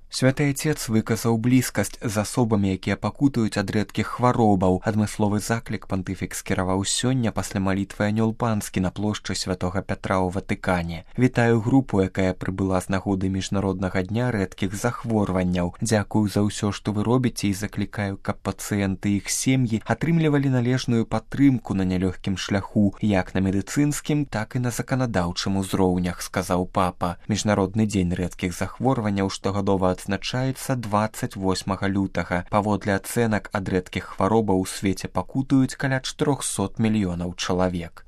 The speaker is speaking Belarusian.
Святы Отец выказаў блізкасць з асобамі, якія пакутаюць ад рэдкіх хваробаў. Адмысловы заклік пантыфік скіраваў сёння пасля малітвы Анёл Панскі на плошчы Святога Пятра ў Ватыкане. Вітаю групу, якая прыбыла з нагоды міжнароднага дня рэдкіх захворванняў. Дзякую за ўсё, што вы робіце, і заклікаю, каб пацыенты і іх сем'і атрымлівалі належную падтрымку на нялёгкім шляху, як на медыцынскім, так і на заканадаўчым узроўнях, сказаў папа. Міжнародны дзень рэдкіх захворванняў штогадова адзначаецца 28 лютага. Паводле ацэнак, ад рэдкіх хваробаў у свеце пакутаюць каля 400 мільёнаў чалавек.